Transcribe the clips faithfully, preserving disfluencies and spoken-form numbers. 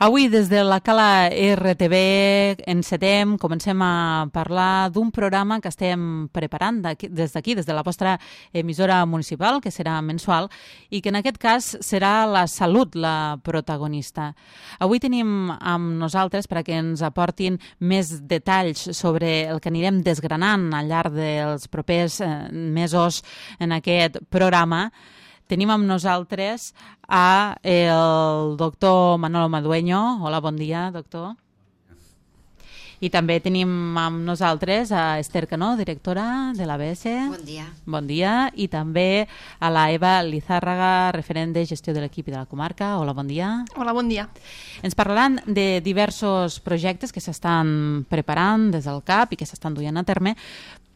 Avui, des de la Cala R T V, encetem, comencem a parlar d'un programa que estem preparant des d'aquí, des de la vostra emissora municipal, que serà mensual, i que en aquest cas serà la salut la protagonista. Avui tenim amb nosaltres, perquè ens aportin més detalls sobre el que anirem desgranant al llarg dels propers eh, mesos en aquest programa, tenim amb nosaltres a el doctor Manolo Madueño. Hola, bon dia, doctor. I també tenim amb nosaltres a Esther Canó, directora de l'A B S. Bon dia. Bon dia. I també a la Eva Lizárraga, referent de gestió de l'equip i de la comarca. Hola, bon dia. Hola, bon dia. Ens parlaran de diversos projectes que s'estan preparant des del C A P i que s'estan duent a terme,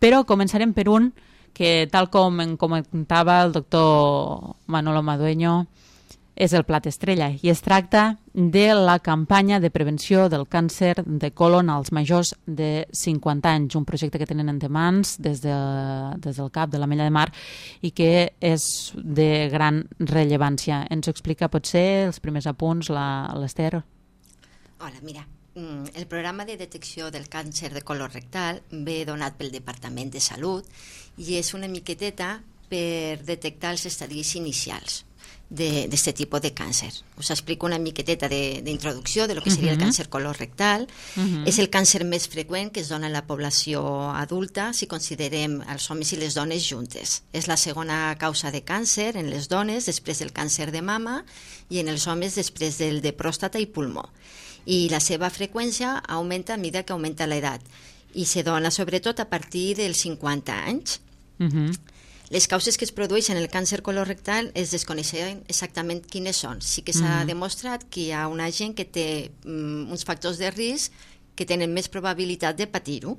però començarem per un que, tal com em comentava el doctor Manolo Madueño, és el plat estrella, i es tracta de la campanya de prevenció del càncer de colon als majors de cinquanta anys, un projecte que tenen entre mans des, de, des del C A P de l'Ametlla de Mar i que és de gran rellevància. Ens explica potser els primers apunts l'Esther? Hola, mira, el programa de detecció del càncer de colon rectal ve donat pel Departament de Salut i és una miqueteta per detectar els estadis inicials d'aquest tipus de càncer. Us explico una miqueteta d'introducció de, de lo que seria uh -huh. el càncer colorectal. Uh -huh. És el càncer més freqüent que es dona en la població adulta si considerem els homes i les dones juntes. És la segona causa de càncer en les dones després del càncer de mama i en els homes després del de pròstata i pulmó. I la seva freqüència augmenta a mesura que augmenta l'edat i se dona sobretot a partir dels cinquanta anys. Uh -huh. Les causes que es produeixen en el càncer colorectal es desconeixen exactament quines són. Sí que s'ha uh -huh. demostrat que hi ha una gent que té um, uns factors de risc que tenen més probabilitat de patir-ho.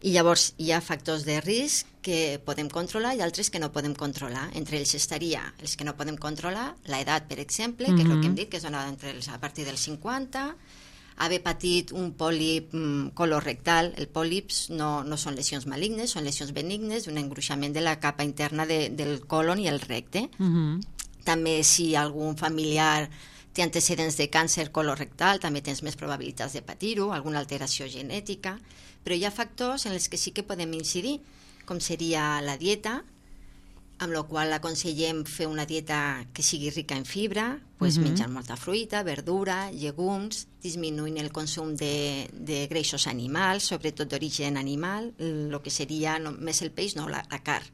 I llavors hi ha factors de risc que podem controlar i altres que no podem controlar. Entre ells estaria els que no podem controlar, l'edat, per exemple, uh -huh. que és el que hem dit, que és dona entre els, a partir dels cinquanta, haver patit un pòlip mm, colorectal. El pòlips no, no són lesions malignes, són lesions benignes d'un engruixament de la capa interna de, del colon i el recte. Uh -huh. També si algun familiar té antecedents de càncer colorectal, també tens més probabilitats de patir-ho, alguna alteració genètica, però hi ha factors en els que sí que podem incidir, com seria la dieta, amb la qual aconsellem fer una dieta que sigui rica en fibra, pues, uh-huh. menjant molta fruita, verdura, llegums, disminuint el consum de, de greixos animals, sobretot d'origen animal, el que seria no, més el peix, no, la, la carn.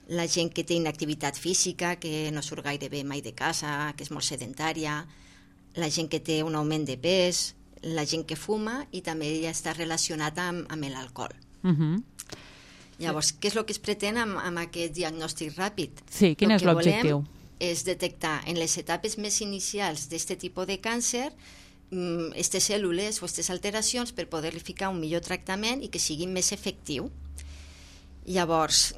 La gent que té inactivitat física, que no surt gaire bé mai de casa, que és molt sedentària, la gent que té un augment de pes, la gent que fuma i també ja està relacionat amb, amb l'alcohol. Uh-huh. Llavors, què és el que es pretén amb, amb aquest diagnòstic ràpid? Sí, quin és l'objectiu? El que volem és detectar en les etapes més inicials d'aquest tipus de càncer aquestes cèl·lules o aquestes alteracions per poder-li ficar un millor tractament i que sigui més efectiu. Llavors,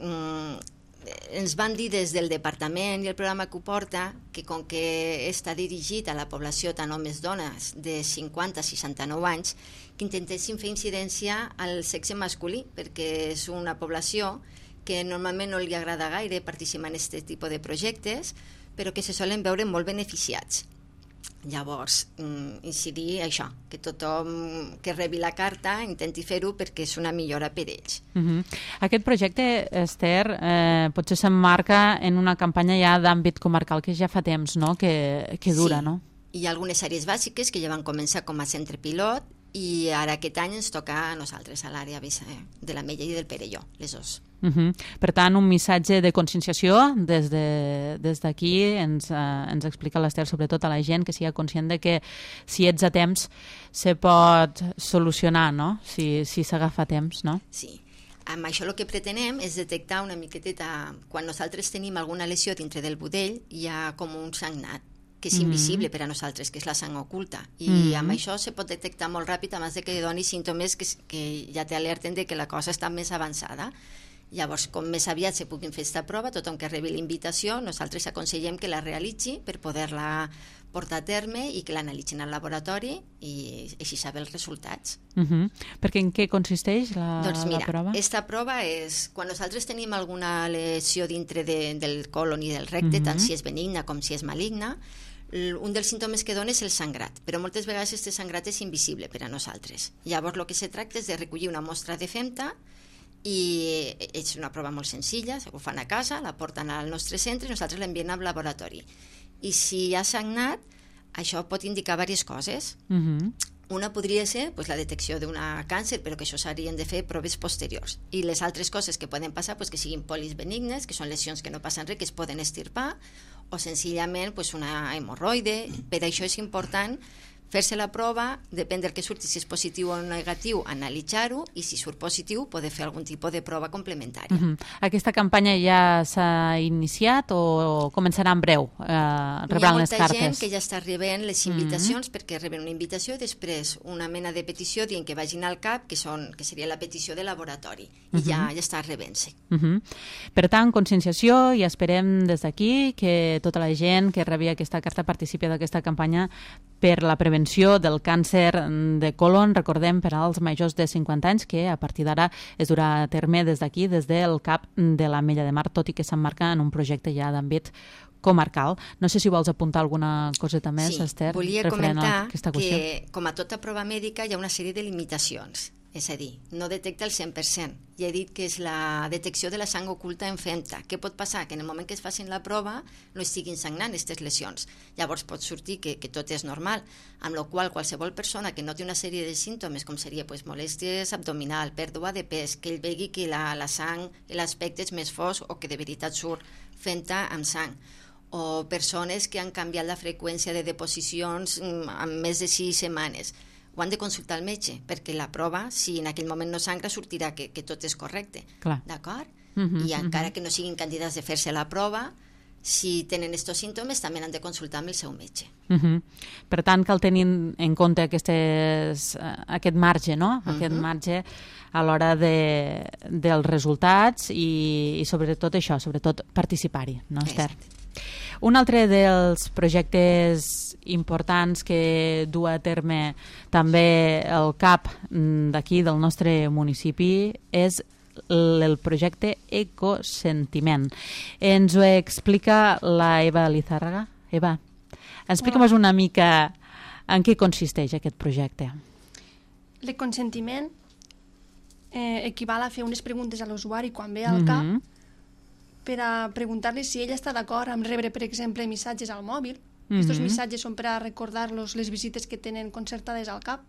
ens van dir des del departament i el programa que ho porta que com que està dirigit a la població tant homes dones de cinquanta a seixanta-nou anys, que intentéssim fer incidència al sexe masculí, perquè és una població que normalment no li agrada gaire participar en aquest tipus de projectes, però que se solen veure molt beneficiats. Llavors, incidir això, que tothom que rebi la carta intenti fer-ho perquè és una millora per ells. Uh-huh. Aquest projecte, Esther, eh, potser s'emmarca en una campanya ja d'àmbit comarcal que ja fa temps, no?, que, que dura, sí. no? Hi ha algunes àrees bàsiques que ja van començar com a centre pilot i ara aquest any ens toca a nosaltres, a l'àrea de l'Ametlla i del Perelló, les dos. Uh-huh. Per tant, un missatge de conscienciació des de, des d'aquí ens, eh, ens explica l'Esther, sobretot a la gent, que sigui conscient de que si ets a temps se pot solucionar, no?, si, si s'agafa a temps, no? Sí. Amb això el que pretenem és detectar una miqueteta, quan nosaltres tenim alguna lesió dintre del budell, hi ha com un sagnat que és invisible mm-hmm. per a nosaltres, que és la sang oculta. I mm-hmm. amb això se pot detectar molt ràpid abans de que doni símptomes que, que ja t'alerten de que la cosa està més avançada. Llavors, com més aviat se puguin fer aquesta prova, tothom que rebi la invitació, nosaltres aconsellem que la realitzi per poder-la portar a terme i que l'analitzin al laboratori i així saber els resultats. Uh-huh. Perquè en què consisteix la, doncs mira, la prova? Aquesta prova és quan nosaltres tenim alguna lesió dintre de, del colon i del recte, uh-huh. tant si és benigna com si és maligna, un dels símptomes que dona és el sangrat, però moltes vegades aquest sangrat és invisible per a nosaltres. Llavors el que se tracta és de recollir una mostra de femta i és una prova molt senzilla, ho fan a casa, la porten al nostre centre i nosaltres l'enviem al laboratori. I si hi ha sagnat, això pot indicar diverses coses. Uh-huh. Una podria ser pues, la detecció d'un càncer, però que això s'haurien de fer proves posteriors. I les altres coses que poden passar, pues, que siguin polis benignes, que són lesions que no passen res, que es poden estirpar, o senzillament pues, una hemorroide. Per això és important fer-se la prova, depèn del que surti, si és positiu o negatiu, analitzar-ho, i si surt positiu, poder fer algun tipus de prova complementària. Uh-huh. Aquesta campanya ja s'ha iniciat o començarà en breu? Eh, rebran les cartes? Hi ha molta gent que ja està rebent les invitacions, uh-huh. perquè reben una invitació i després una mena de petició dient que vagin al CAP, que, són, que seria la petició de laboratori, i uh-huh. ja, ja està rebent-se. Uh-huh. Per tant, conscienciació, i esperem des d'aquí que tota la gent que rebi aquesta carta participi d'aquesta campanya per la prevenció del càncer de colon, recordem, per als majors de cinquanta anys, que a partir d'ara es durà a terme des d'aquí, des del CAP de l'Ametlla de Mar, tot i que s'emmarca en un projecte ja d'àmbit comarcal. No sé si vols apuntar alguna coseta més, sí, Esther, volia referent comentar a aquesta qüestió. Que, com a tota prova mèdica, hi ha una sèrie de limitacions. És a dir, no detecta el cent per cent. Ja he dit que és la detecció de la sang oculta en femta. Què pot passar? Que en el moment que es facin la prova no estiguin sagnant aquestes lesions. Llavors pot sortir que, que tot és normal, amb la qual qualsevol persona que noti una sèrie de símptomes, com seria pues, molèsties abdominal, pèrdua de pes, que ell vegi que la, la sang, l'aspecte és més fosc o que de veritat surt femta amb sang, o persones que han canviat la freqüència de deposicions en més de sis setmanes, ho han de consultar al metge, perquè la prova, si en aquell moment no sangra, sortirà que, que tot és correcte. D'acord? Uh-huh, I encara uh-huh. que no siguin candidats de fer-se la prova, si tenen aquests símptomes, també han de consultar amb el seu metge. Uh-huh. Per tant, cal tenir en compte aquestes, aquest marge, no? Aquest uh-huh. marge a l'hora de, dels resultats i, i sobretot això, sobretot participar-hi, no, Esther? Exacte. Un altre dels projectes importants que du a terme també el CAP d'aquí, del nostre municipi, és el projecte Ecosentiment. Ens ho explica la Eva Lizárraga. Eva, explica'm una mica en què consisteix aquest projecte. L'econsentiment eh, equival a fer unes preguntes a l'usuari quan ve al CAP, mm-hmm. per a preguntar-li si ell està d'acord amb rebre, per exemple, missatges al mòbil. Mm-hmm. Estos missatges són per a recordar-los les visites que tenen concertades al CAP,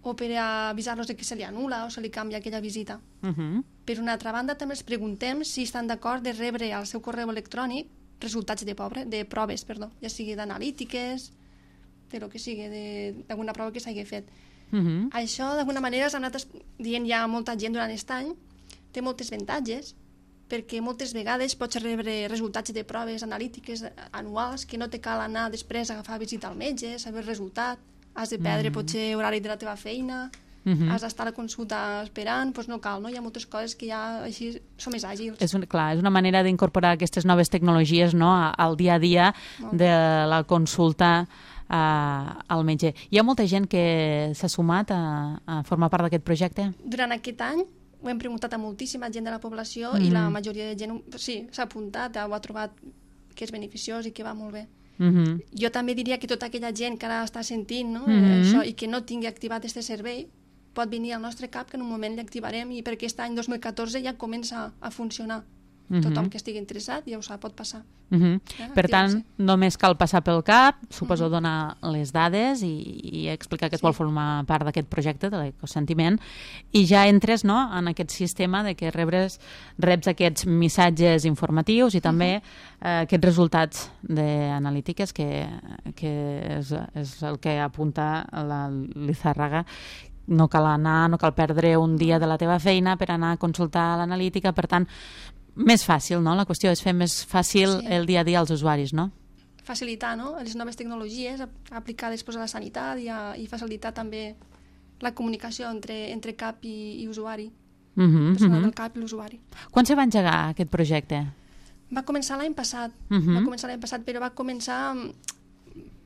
o per a avisar-los de que se li anul·la o se li canvia aquella visita. Mm-hmm. Per una altra banda, també els preguntem si estan d'acord de rebre al seu correu electrònic resultats de, pobre, de proves, perdó, ja sigui d'analítiques, de lo que sigui, d'alguna prova que s'hagi fet. Mm-hmm. Això, d'alguna manera, s'ha anat dient ja molta gent durant aquest any, té moltes avantatges, perquè moltes vegades pots rebre resultats de proves analítiques anuals que no te cal anar després a agafar visita al metge, saber el resultat, has de perdre mm-hmm. potser horari de la teva feina, mm-hmm. has d'estar a la consulta esperant, doncs no cal, no? Hi ha moltes coses que ja així són més àgils. És, un, clar, és una manera d'incorporar aquestes noves tecnologies, no?, al dia a dia de la consulta uh, al metge. Hi ha molta gent que s'ha sumat a, a formar part d'aquest projecte? Durant aquest any ho hem preguntat a moltíssima gent de la població mm-hmm. i la majoria de gent sí, s'ha apuntat, ho ha trobat que és beneficiós i que va molt bé. Mm-hmm. Jo també diria que tota aquella gent que ara està sentint, no, mm-hmm. això, i que no tingui activat aquest servei pot venir al nostre CAP, que en un moment l'activarem i per aquest any dos mil catorze ja comença a funcionar. Mm-hmm. Tothom que estigui interessat ja ho sap, pot passar. Mm-hmm. eh, per tant, només cal passar pel CAP, suposo mm-hmm. donar les dades i, i explicar que es sí. vol formar part d'aquest projecte de l'ecosentiment i ja entres, no?, en aquest sistema de que rebres, reps aquests missatges informatius i també mm-hmm. eh, aquests resultats d'analítiques que, que és, és el que apunta la Lizárraga. No cal anar, no cal perdre un dia de la teva feina per anar a consultar l'analítica, per tant, més fàcil, no? La qüestió és fer més fàcil sí. el dia a dia als usuaris, no? Facilitar, no?, les noves tecnologies aplicades pues, a la sanitat i, a, i facilitar també la comunicació entre, entre CAP i, i usuari, uh-huh, personal uh-huh. del CAP i l'usuari. Quan se va engegar aquest projecte? Va començar l'any passat, uh-huh. va començar l'any passat, però va començar a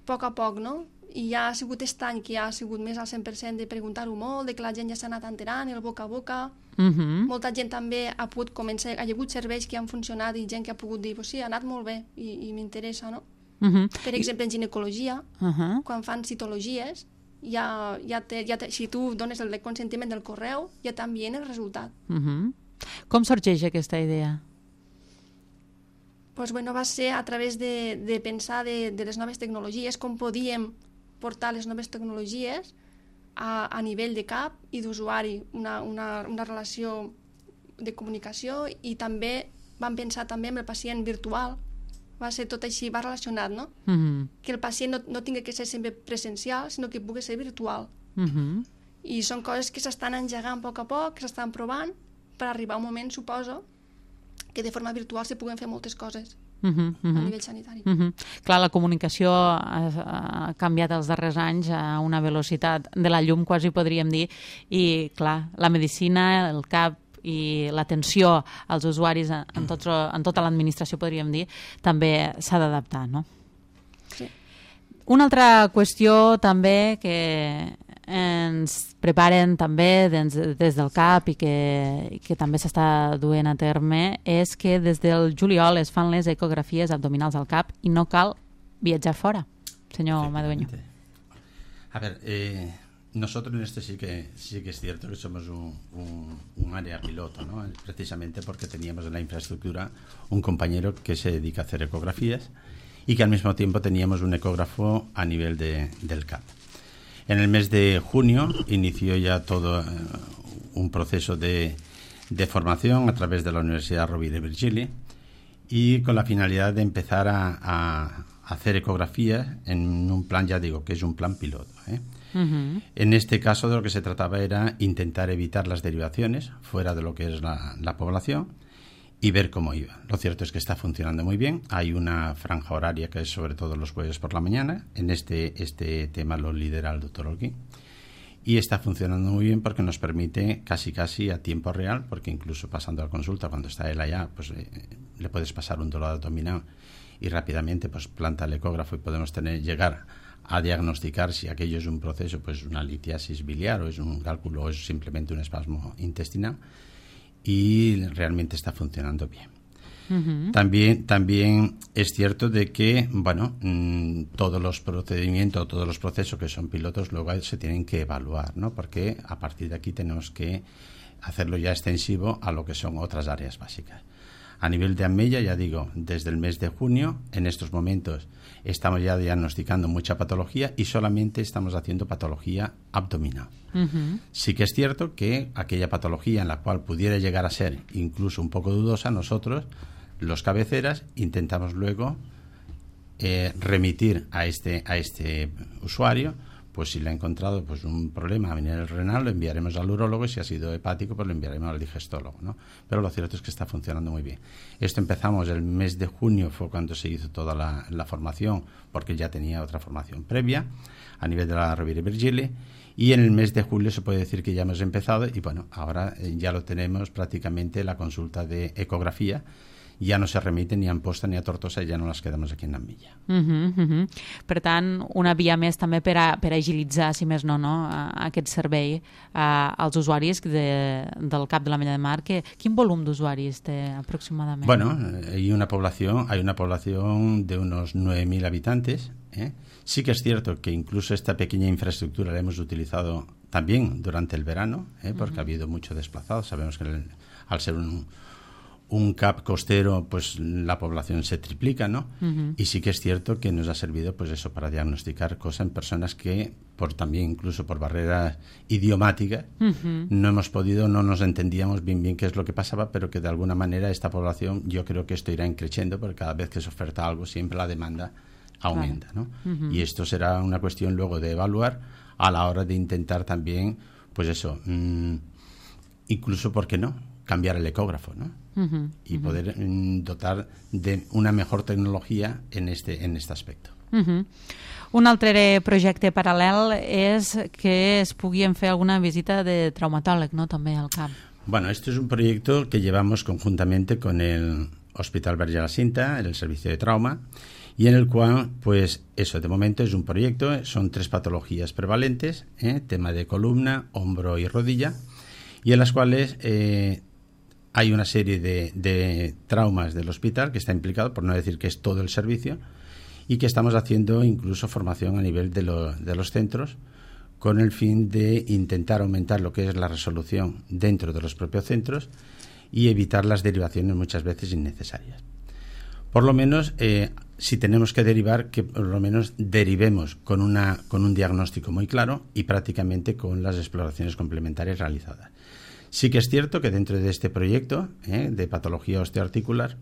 poc a poc, no? I ja ha sigut aquest any que ja ha sigut més al cent per cent de preguntar-ho molt, de que la gent ja s'ha anat enterant, el boca a boca. Uh-huh. Molta gent també ha pogut començar, ha hagut serveis que han funcionat i gent que ha pogut dir, pues sí, ha anat molt bé i, i m'interessa, no? Uh -huh. Per exemple, en ginecologia, uh -huh. quan fan citologies, ja, ja te, ja te, si tu dones el consentiment del correu, ja t'envien el resultat. Uh -huh. Com sorgeix aquesta idea? Pues, bueno, va ser a través de, de pensar de, de les noves tecnologies, com podíem portar les noves tecnologies a, a nivell de cap i d'usuari, una, una, una relació de comunicació, i també vam pensar també en el pacient virtual. Va ser tot així, va relacionat, no? Uh -huh. Que el pacient no, no tingui que ser sempre presencial, sinó que pugui ser virtual. Uh -huh. I són coses que s'estan engegant a poc a poc, que s'estan provant, per arribar a un moment, suposo, que de forma virtual se puguen fer moltes coses uh -huh, uh -huh. a nivell sanitari. Uh -huh. Clar, la comunicació ha, ha canviat els darrers anys a una velocitat de la llum, quasi podríem dir, i clar, la medicina, el cap i l'atenció als usuaris en, tot, en tota l'administració, podríem dir, també s'ha d'adaptar, no? Sí. Una altra qüestió també que ens preparen també des, des del CAP i que, i que també s'està duent a terme és que des del juliol es fan les ecografies abdominals al CAP i no cal viatjar fora, senyor Madueño. A ver, eh, nosotros en este sí que sí que es cierto que somos un, un, un área piloto, ¿no? Precisamente porque teníamos en la infraestructura un compañero que se dedica a hacer ecografías y que al mismo tiempo teníamos un ecógrafo a nivel de, del CAP. En el mes de junio inició ya todo eh, un proceso de, de formación a través de la Universidad Rovira i Virgili, y con la finalidad de empezar a, a hacer ecografías en un plan, ya digo, que es un plan piloto, ¿eh? Uh-huh. En este caso de lo que se trataba era intentar evitar las derivaciones fuera de lo que es la, la población y ver cómo iba. Lo cierto es que está funcionando muy bien. Hay una franja horaria que es sobre todo los jueves por la mañana. En este, este tema lo lidera el doctor Holguín. Y está funcionando muy bien porque nos permite casi casi a tiempo real, porque incluso pasando a la consulta, cuando está él allá, pues eh, le puedes pasar un dolor abdominal y rápidamente pues planta el ecógrafo y podemos tener llegar a diagnosticar si aquello es un proceso, pues una litiasis biliar o es un cálculo o es simplemente un espasmo intestinal. Y realmente está funcionando bien. Uh-huh. También, también es cierto de que, bueno, mmm, todos los procedimientos, todos los procesos que son pilotos luego se tienen que evaluar, ¿no? Porque a partir de aquí tenemos que hacerlo ya extensivo a lo que son otras áreas básicas. A nivel de Amella, ya digo, desde el mes de junio, en estos momentos estamos ya diagnosticando mucha patología y solamente estamos haciendo patología abdominal. Uh-huh. Sí que es cierto que aquella patología en la cual pudiera llegar a ser incluso un poco dudosa, nosotros, los cabeceras, intentamos luego eh, remitir a este, a este usuario. Pues si le ha encontrado pues un problema a nivel renal, lo enviaremos al urólogo, y si ha sido hepático, pues lo enviaremos al digestólogo, ¿no? Pero lo cierto es que está funcionando muy bien. Esto empezamos el mes de junio, fue cuando se hizo toda la, la formación, porque ya tenía otra formación previa a nivel de la Rovira i Virgili, y en el mes de julio se puede decir que ya hemos empezado, y bueno, ahora ya lo tenemos prácticamente la consulta de ecografía. Ja no se remite ni a Amposta ni a Tortosa, ja no les quedamos aquí en Amella. Uh -huh, uh -huh. Per tant, una via més també per, a, per agilitzar, si més no, no aquest servei a, als usuaris de, del CAP de l'Ametlla de Mar. Que, quin volum d'usuaris té aproximadament? Bueno, hay una población, hay una población de unos nueve mil habitantes, ¿eh? Sí que es cierto que incluso esta pequeña infraestructura la hemos utilizado también durante el verano, ¿eh? Porque uh -huh. ha habido mucho desplazado. Sabemos que el, al ser un un CAP costero, pues la población se triplica, ¿no? Uh-huh. Y sí que es cierto que nos ha servido, pues eso, para diagnosticar cosas en personas que, por también incluso por barreras idiomáticas, uh-huh. no hemos podido, no nos entendíamos bien bien qué es lo que pasaba, pero que de alguna manera esta población, yo creo que esto irá creciendo, porque cada vez que se oferta algo, siempre la demanda aumenta, ¿no? Uh-huh. Y esto será una cuestión luego de evaluar a la hora de intentar también, pues eso, mmm, incluso, ¿por qué no?, cambiar el ecógrafo, ¿no? Uh-huh, y uh-huh. poder mm, dotar de una mejor tecnología en este, en este aspecto. Uh-huh. Un altre projecte paral·lel és que es puguin fer alguna visita de traumatòleg, ¿no?, també al CAP. Bueno, esto es un proyecto que llevamos conjuntamente con el Hospital Verge de la Cinta, el servicio de trauma, y en el cual, pues eso, de momento es un proyecto, son tres patologías prevalentes, ¿eh? Tema de columna, hombro y rodilla, y en las cuales eh, hay una serie de, de traumas del hospital que está implicado, por no decir que es todo el servicio, y que estamos haciendo incluso formación a nivel de, lo, de los centros con el fin de intentar aumentar lo que es la resolución dentro de los propios centros y evitar las derivaciones muchas veces innecesarias. Por lo menos, eh, si tenemos que derivar, que por lo menos derivemos con, una, con un diagnóstico muy claro y prácticamente con las exploraciones complementarias realizadas. Sí que es cierto que dentro de este proyecto eh, de patología osteoarticular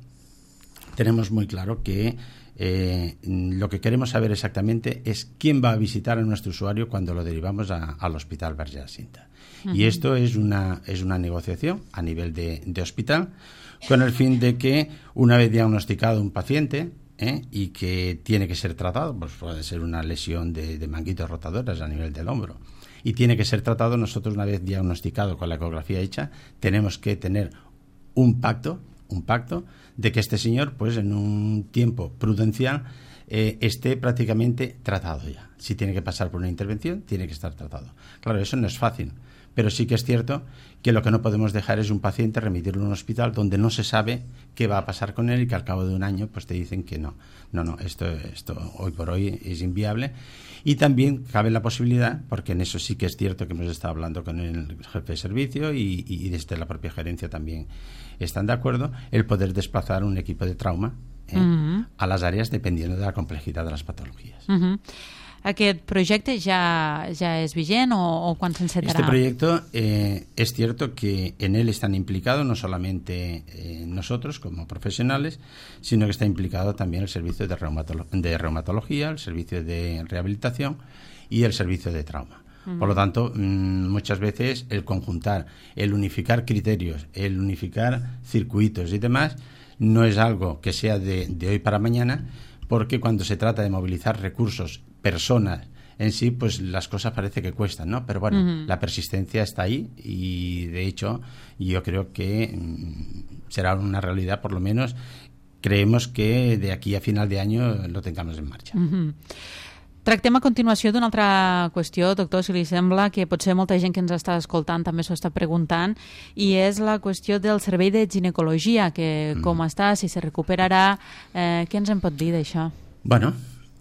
tenemos muy claro que eh, lo que queremos saber exactamente es quién va a visitar a nuestro usuario cuando lo derivamos a, al Hospital Verge de la Cinta. Uh-huh. Y esto es una, es una negociación a nivel de, de hospital con el fin de que una vez diagnosticado un paciente ¿eh? y que tiene que ser tratado, pues puede ser una lesión de, de manguitos rotadoras a nivel del hombro, y tiene que ser tratado, nosotros una vez diagnosticado con la ecografía hecha, tenemos que tener un pacto, un pacto de que este señor, pues en un tiempo prudencial, eh, esté prácticamente tratado ya. Si tiene que pasar por una intervención, tiene que estar tratado. Claro, eso no es fácil, pero sí que es cierto que lo que no podemos dejar es un paciente remitirlo a un hospital donde no se sabe qué va a pasar con él y que al cabo de un año pues te dicen que no, no, no, esto, esto hoy por hoy es inviable. Y también cabe la posibilidad, porque en eso sí que es cierto que hemos estado hablando con el jefe de servicio y, y desde la propia gerencia también están de acuerdo, el poder desplazar un equipo de trauma eh, uh-huh. a las áreas dependiendo de la complejidad de las patologías. Uh-huh. ¿Aquest projecte ya, ya es vigent o, o quan s'encetarà? Este proyecto eh, es cierto que en él están implicados no solamente eh, nosotros como profesionales, sino que está implicado también el servicio de, reumatolo- de reumatología, el servicio de rehabilitación y el servicio de trauma. Uh-huh. Por lo tanto, mmm, muchas veces el conjuntar, el unificar criterios, el unificar circuitos y demás, no es algo que sea de, de hoy para mañana, porque cuando se trata de movilizar recursos, personas en sí, pues las cosas parece que cuestan, ¿no? Pero bueno, uh-huh. la persistencia está ahí y de hecho yo creo que mmm, será una realidad, por lo menos creemos que de aquí a final de año lo tengamos en marcha. Uh-huh. Tractem a continuació d'una altra qüestió, doctor, si li sembla, que potser molta gent que ens està escoltant també s'ho està preguntant, i és la qüestió del servei de ginecologia, que mm. com està, si se recuperarà, eh, què ens en pot dir d'això? Bueno,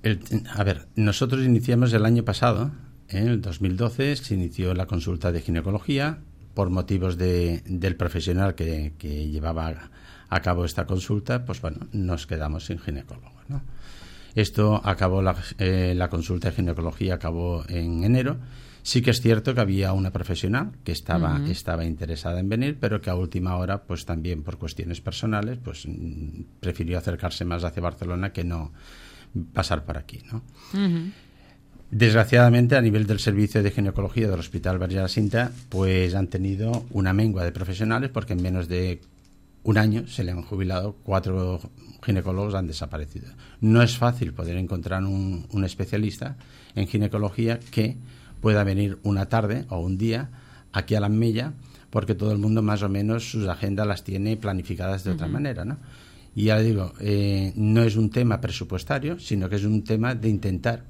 el, a ver, nosotros iniciamos el año pasado, en el dos mil doce, se inició la consulta de ginecología por motivos de, del profesional que, que llevaba a cabo esta consulta, pues bueno, nos quedamos sin ginecólogo, ¿no? Esto acabó, la, eh, la consulta de ginecología acabó en enero. Sí que es cierto que había una profesional que estaba, uh-huh. estaba interesada en venir, pero que a última hora, pues también por cuestiones personales, pues mm, prefirió acercarse más hacia Barcelona que no pasar por aquí, ¿no? Uh-huh. Desgraciadamente, a nivel del servicio de ginecología del Hospital Verge de la Cinta, pues han tenido una mengua de profesionales porque en menos de un año se le han jubilado, cuatro ginecólogos han desaparecido. No es fácil poder encontrar un, un especialista en ginecología que pueda venir una tarde o un día aquí a la Mella, porque todo el mundo más o menos sus agendas las tiene planificadas de uh-huh. otra manera, ¿no? Y ya le digo, eh, no es un tema presupuestario, sino que es un tema de intentar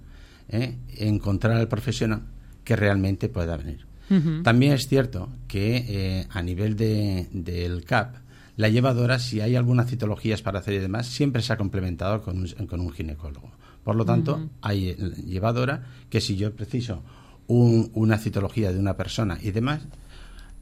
eh, encontrar al profesional que realmente pueda venir. Uh-huh. También es cierto que eh, a nivel de, del C A P, la llevadora, si hay algunas citologías para hacer y demás, siempre se ha complementado con un, con un ginecólogo. Por lo tanto, uh-huh. hay llevadora que si yo preciso un, una citología de una persona y demás,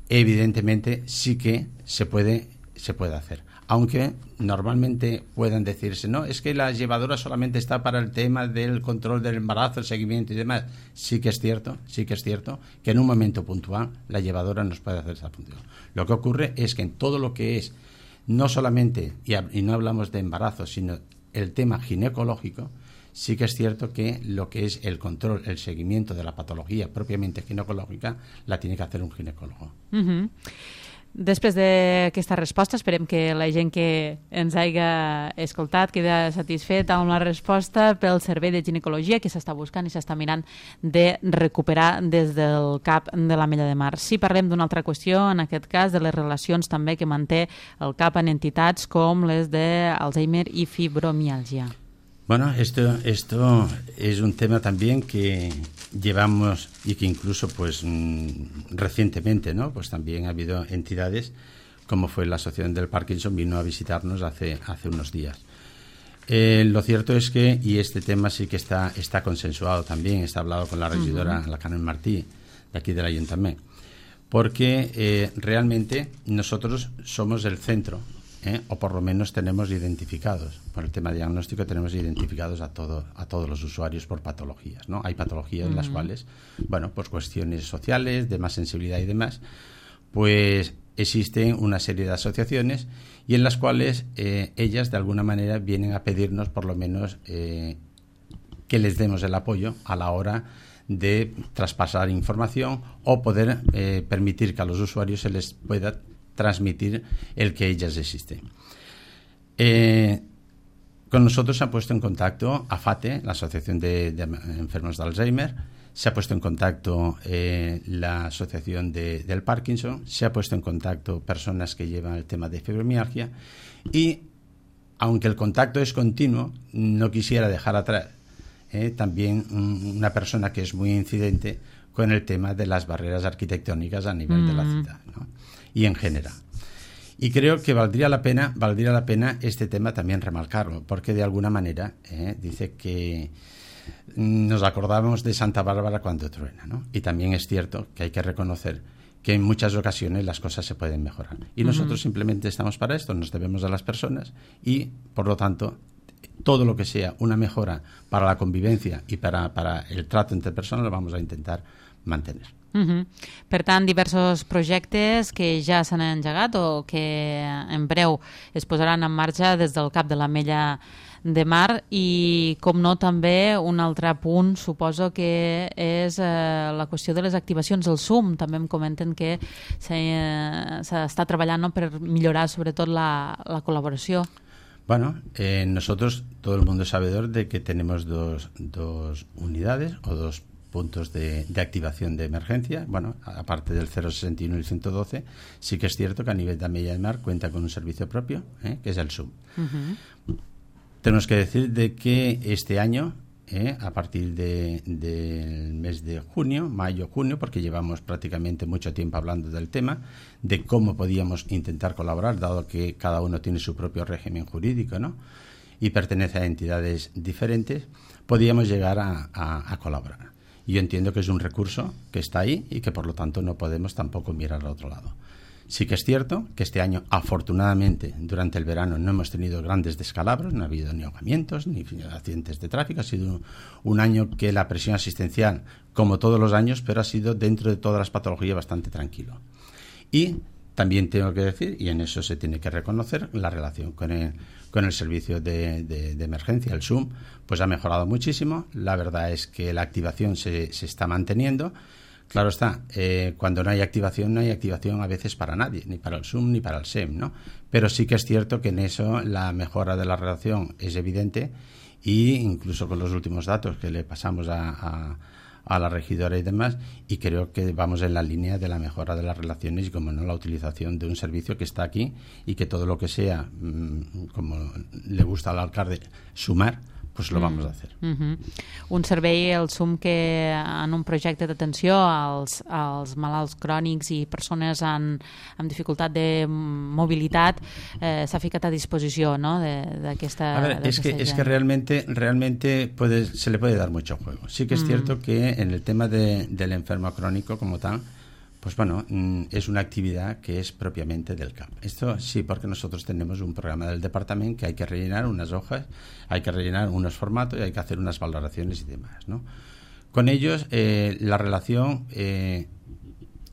evidentemente sí que se puede, se puede hacer. Aunque normalmente puedan decirse, no, es que la llevadora solamente está para el tema del control del embarazo, el seguimiento y demás. Sí que es cierto, sí que es cierto que en un momento puntual la llevadora nos puede hacer esa función. Lo que ocurre es que en todo lo que es, no solamente, y, y no hablamos de embarazo, sino el tema ginecológico, sí que es cierto que lo que es el control, el seguimiento de la patología propiamente ginecológica, la tiene que hacer un ginecólogo. Uh-huh. Després d'aquesta resposta, esperem que la gent que ens hagi escoltat quedi satisfet amb la resposta pel servei de ginecologia que s'està buscant i s'està mirant de recuperar des del C A P de l'Ametlla de Mar. Si parlem d'una altra qüestió, en aquest cas de les relacions també que manté el C A P en entitats com les d'Alzheimer i fibromialgia. Bueno, esto, esto es un tema también que llevamos y que incluso pues mmm, recientemente, ¿no? Pues también ha habido entidades como fue la Asociación del Parkinson, vino a visitarnos hace, hace unos días. Eh, lo cierto es que, y este tema sí que está, está consensuado también, está hablado con la regidora, uh-huh. la Carmen Martí, de aquí del Ayuntamiento, porque eh, realmente nosotros somos el centro, ¿eh? o por lo menos tenemos identificados, por el tema diagnóstico tenemos identificados a, todo, a todos los usuarios por patologías, ¿no? Hay patologías uh-huh. en las cuales, bueno, por cuestiones sociales, de más sensibilidad y demás, pues existen una serie de asociaciones y en las cuales eh, ellas de alguna manera vienen a pedirnos por lo menos eh, que les demos el apoyo a la hora de traspasar información o poder eh, permitir que a los usuarios se les pueda transmitir el que ellas existen. Eh, con nosotros se ha puesto en contacto AFATE, la Asociación de, de Enfermos de Alzheimer, se ha puesto en contacto eh, la Asociación de, del Parkinson, se ha puesto en contacto personas que llevan el tema de fibromialgia y, aunque el contacto es continuo, no quisiera dejar atrás eh, también un, una persona que es muy incidente con el tema de las barreras arquitectónicas a nivel mm. de la ciudad, ¿no? Y en general. Y creo que valdría la pena, valdría la pena este tema también remarcarlo, porque de alguna manera eh, dice que nos acordamos de Santa Bárbara cuando truena, ¿no? Y también es cierto que hay que reconocer que en muchas ocasiones las cosas se pueden mejorar. Y nosotros uh-huh. simplemente estamos para esto, nos debemos a las personas y, por lo tanto, todo lo que sea una mejora para la convivencia y para, para el trato entre personas lo vamos a intentar mantener. Uh-huh. Per tant, diversos projectes que ja s'han engegat o que en breu es posaran en marxa des del cap de l'Ametlla de Mar i, com no, també un altre punt suposo que és eh, la qüestió de les activacions del S U M. També em comenten que s'està treballant, no?, per millorar sobretot la, la col·laboració. Bueno, eh, nosotros, todo el mundo es sabedor de que tenemos dos, dos unidades o dos puntos de, de activación de emergencia. Bueno, aparte del cero sesenta y uno y el ciento doce, sí que es cierto que a nivel de Ametlla de Mar cuenta con un servicio propio, ¿eh?, que es el S U M. Uh-huh. Tenemos que decir de que este año, eh, a partir de, del mes de junio, mayo, junio, porque llevamos prácticamente mucho tiempo hablando del tema, de cómo podíamos intentar colaborar, dado que cada uno tiene su propio régimen jurídico, ¿no?, y pertenece a entidades diferentes, podíamos llegar a, a, a colaborar. Y yo entiendo que es un recurso que está ahí y que por lo tanto no podemos tampoco mirar al otro lado. Sí que es cierto que este año, afortunadamente, durante el verano no hemos tenido grandes descalabros, no ha habido ni ahogamientos, ni accidentes de tráfico. Ha sido un, un año que la presión asistencial, como todos los años, pero ha sido dentro de todas las patologías bastante tranquilo. Y también tengo que decir, y en eso se tiene que reconocer, la relación con el, con el servicio de, de, de emergencia, el S U M, pues ha mejorado muchísimo. La verdad es que la activación se, se está manteniendo. Claro está, eh, cuando no hay activación, no hay activación a veces para nadie, ni para el S U M ni para el S E M, ¿no? Pero sí que es cierto que en eso la mejora de la relación es evidente y incluso con los últimos datos que le pasamos a, a, a la regidora y demás, y creo que vamos en la línea de la mejora de las relaciones y, como no, la utilización de un servicio que está aquí y que todo lo que sea, mmm, como le gusta al alcalde, sumar, pues lo vamos a hacer. Mm-hmm. Un servei, el S U M, que en un projecte d'atenció als, als malalts crònics i persones en, amb dificultat de mobilitat eh, s'ha ficat a disposició, ¿no?, d'aquesta... A ver, es que, es que realmente, realmente puede, se le puede dar mucho juego. Sí que es mm. cierto que en el tema de, del enfermo crónico como tal, pues bueno, es una actividad que es propiamente del C A P. Esto sí, porque nosotros tenemos un programa del departamento que hay que rellenar unas hojas, hay que rellenar unos formatos y hay que hacer unas valoraciones y demás, ¿no? Con ellos, eh, la relación eh,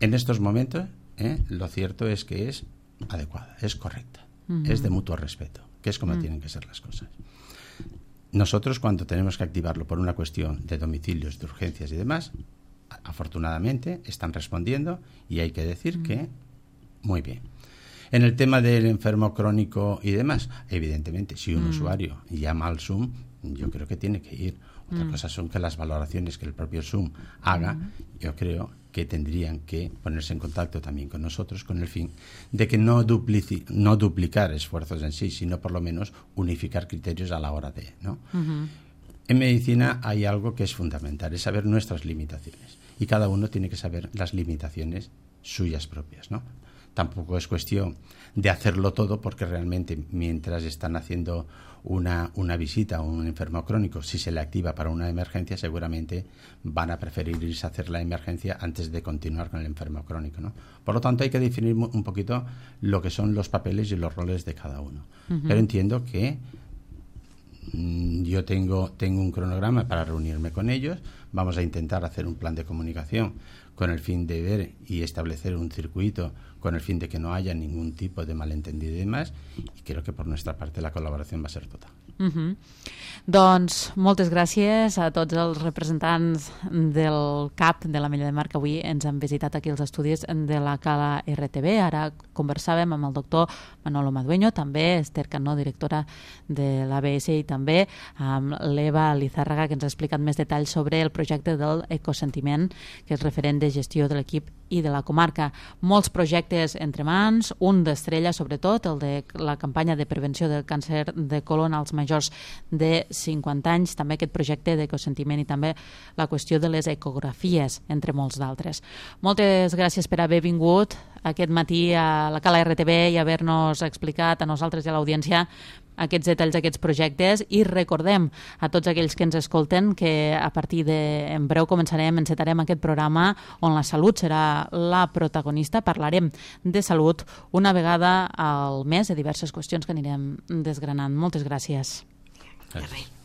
en estos momentos, eh, lo cierto es que es adecuada, es correcta, uh-huh. es de mutuo respeto, que es como uh-huh. tienen que ser las cosas. Nosotros, cuando tenemos que activarlo por una cuestión de domicilios, de urgencias y demás, afortunadamente están respondiendo y hay que decir mm. que muy bien. En el tema del enfermo crónico y demás, evidentemente, si un mm. usuario llama al S U M, yo creo que tiene que ir. Otra mm. cosa son que las valoraciones que el propio S U M haga, mm. yo creo que tendrían que ponerse en contacto también con nosotros con el fin de que no, duplici- no duplicar esfuerzos en sí, sino por lo menos unificar criterios a la hora de, ¿no? Mm-hmm. En medicina hay algo que es fundamental, es saber nuestras limitaciones. Y cada uno tiene que saber las limitaciones suyas propias, ¿no? tampoco es cuestión de hacerlo todo, porque realmente mientras están haciendo una, una visita a un enfermo crónico, si se le activa para una emergencia, seguramente van a preferir irse a hacer la emergencia antes de continuar con el enfermo crónico, ¿no? Por lo tanto, hay que definir un poquito lo que son los papeles y los roles de cada uno. Uh-huh. Pero entiendo que mmm, yo tengo, tengo un cronograma para reunirme con ellos. Vamos a intentar hacer un plan de comunicación con el fin de ver y establecer un circuito con el fin de que no haya ningún tipo de malentendido y demás, i crec que per nostra part la col·laboració va ser total. Uh-huh. Doncs moltes gràcies a tots els representants del C A P de l'Ametlla de Mar que avui ens han visitat aquí als estudis de la Cala R T V. Ara conversàvem amb el doctor Manolo Madueño, també Esther Cano, directora de l'A B S, i també amb l'Eva Lizárraga, que ens ha explicat més detalls sobre el projecte del Ecosentiment, que és referent de gestió de l'equip i de la comarca. Molts projectes entre mans, un d'estrella sobretot, el de la campanya de prevenció del càncer de colon als majors de cinquanta anys, també aquest projecte d'Ecosentiment i també la qüestió de les ecografies, entre molts d'altres. Moltes gràcies per haver vingut aquest matí a la Cala R T V i haver-nos explicat a nosaltres i a l'audiència aquests detalls d'aquests projectes, i recordem a tots aquells que ens escolten que a partir de, en breu començarem, encetarem aquest programa on la salut serà la protagonista. Parlarem de salut una vegada al mes, de diverses qüestions que anirem desgranant. Moltes gràcies. Gràcies.